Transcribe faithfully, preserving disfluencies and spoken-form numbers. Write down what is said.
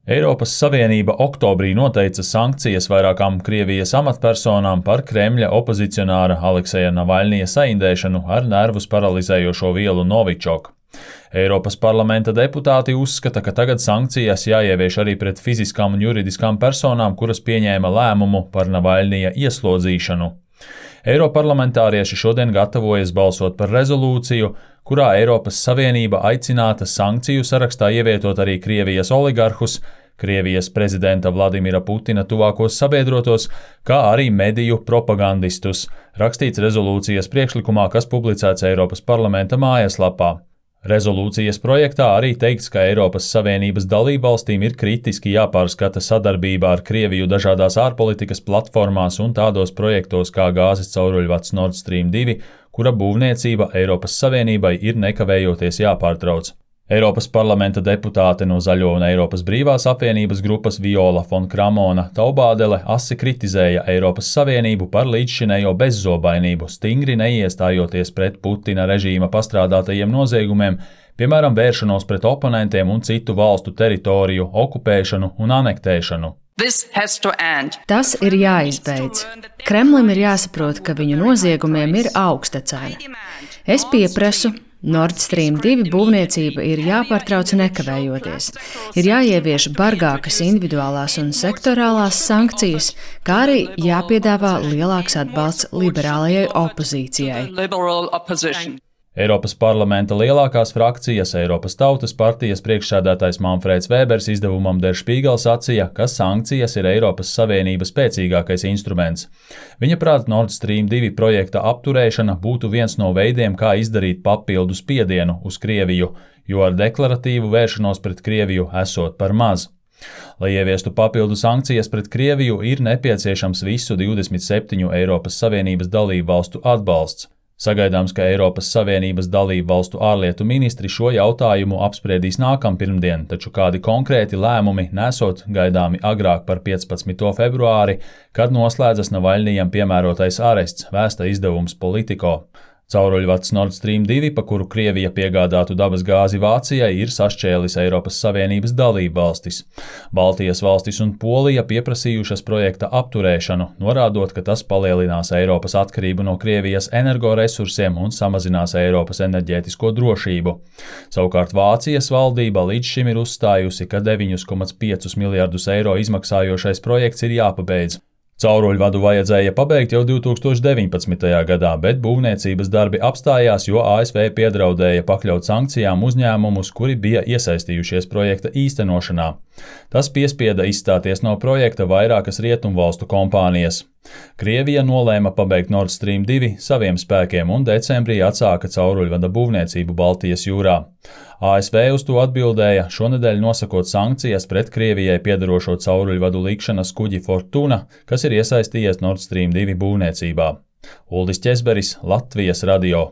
Eiropas Savienība oktobrī noteica sankcijas vairākām Krievijas amatpersonām par Kremļa opozicionāra Alekseja Navaļnija saindēšanu ar nervus paralizējošo vielu Novičok. Eiropas parlamenta deputāti uzskata, ka tagad sankcijas jāievieš arī pret fiziskām un juridiskām personām, kuras pieņēma lēmumu par Navaļnija ieslodzīšanu. Eiroparlamentārieši šodien gatavojas balsot par rezolūciju, kurā Eiropas Savienība aicināta sankciju sarakstā ievietot arī Krievijas oligarhus, Krievijas prezidenta Vladimira Putina tuvākos sabiedrotos, kā arī mediju propagandistus, rakstīts rezolūcijas priekšlikumā, kas publicēts Eiropas parlamenta mājaslapā. Rezolūcijas projektā arī teikts, ka Eiropas Savienības dalībvalstīm ir kritiski jāpārskata sadarbība ar Krieviju dažādās ārpolitikas platformās un tādos projektos kā gāzes cauruļvads Nord Stream divi, kura būvniecība Eiropas Savienībai ir nekavējoties jāpārtrauc. Eiropas parlamenta deputāte no Zaļo un Eiropas brīvās apvienības grupas Viola fon Kramona Taubādele asi kritizēja Eiropas Savienību par līdzšinējo bezzobainību, stingri neiestājoties pret Putina režīma pastrādātajiem noziegumiem, piemēram, vēršanos pret oponentiem un citu valstu teritoriju okupēšanu un anektēšanu. Tas ir jāizbeidz. Kremlim ir jāsaprot, ka viņu noziegumiem ir augsta cena. Es pieprasu, Nord Stream divi būvniecība ir jāpārtrauc nekavējoties. Ir jāievieš bargākas individuālās un sektorālās sankcijas, kā arī jāpiedāvā lielāks atbalsts liberālajai opozīcijai. Eiropas parlamenta lielākās frakcijas Eiropas Tautas partijas priekšsēdētājs Manfreds Vēbers izdevumam Der Spiegel sacīja, ka sankcijas ir Eiropas Savienības spēcīgākais instruments. Viņa prāt Nord Stream divi projekta apturēšana būtu viens no veidiem, kā izdarīt papildu spiedienu uz Krieviju, jo ar deklaratīvu vēršanos pret Krieviju esot par maz. Lai ieviestu papildu sankcijas pret Krieviju, ir nepieciešams visu divdesmit septiņu Eiropas Savienības dalību valstu atbalsts. Sagaidāms, ka Eiropas Savienības dalību valstu ārlietu ministri šo jautājumu apspriedīs nākampirmdien, taču kādi konkrēti lēmumi nesot gaidāmi agrāk par piecpadsmito februāri, kad noslēdzas Navaļnijam piemērotais arests, vēsta izdevums Politico. Cauruļvads Nord Stream divi, pa kuru Krievija piegādātu dabas gāzi Vācijai, ir sašķēlis Eiropas Savienības dalību valstis. Baltijas valstis un Polija pieprasījušas projekta apturēšanu, norādot, ka tas palielinās Eiropas atkarību no Krievijas energoresursiem un samazinās Eiropas enerģētisko drošību. Savukārt Vācijas valdība līdz šim ir uzstājusi, ka deviņi komats pieci miljardus eiro izmaksājošais projekts ir jāpabeidz. Cauruļvadu vajadzēja pabeigt jau divi tūkstoši deviņpadsmitajā gadā, bet būvniecības darbi apstājās, jo A S V piedraudēja pakļaut sankcijām uzņēmumus, kuri bija iesaistījušies projekta īstenošanā. Tas piespieda izstāties no projekta vairākas rietumvalstu kompānijas. Krievija nolēma pabeigt Nord Stream divi saviem spēkiem un decembrī atsāka cauruļvada būvniecību Baltijas jūrā. A S V uz to atbildēja, šonedēļ nosakot sankcijas pret Krievijai piedarošo cauruļvadu likšanas kuģi Fortuna, kas ir iesaistījies Nord Stream divi būvniecībā. Uldis Ķezberis, Latvijas radio.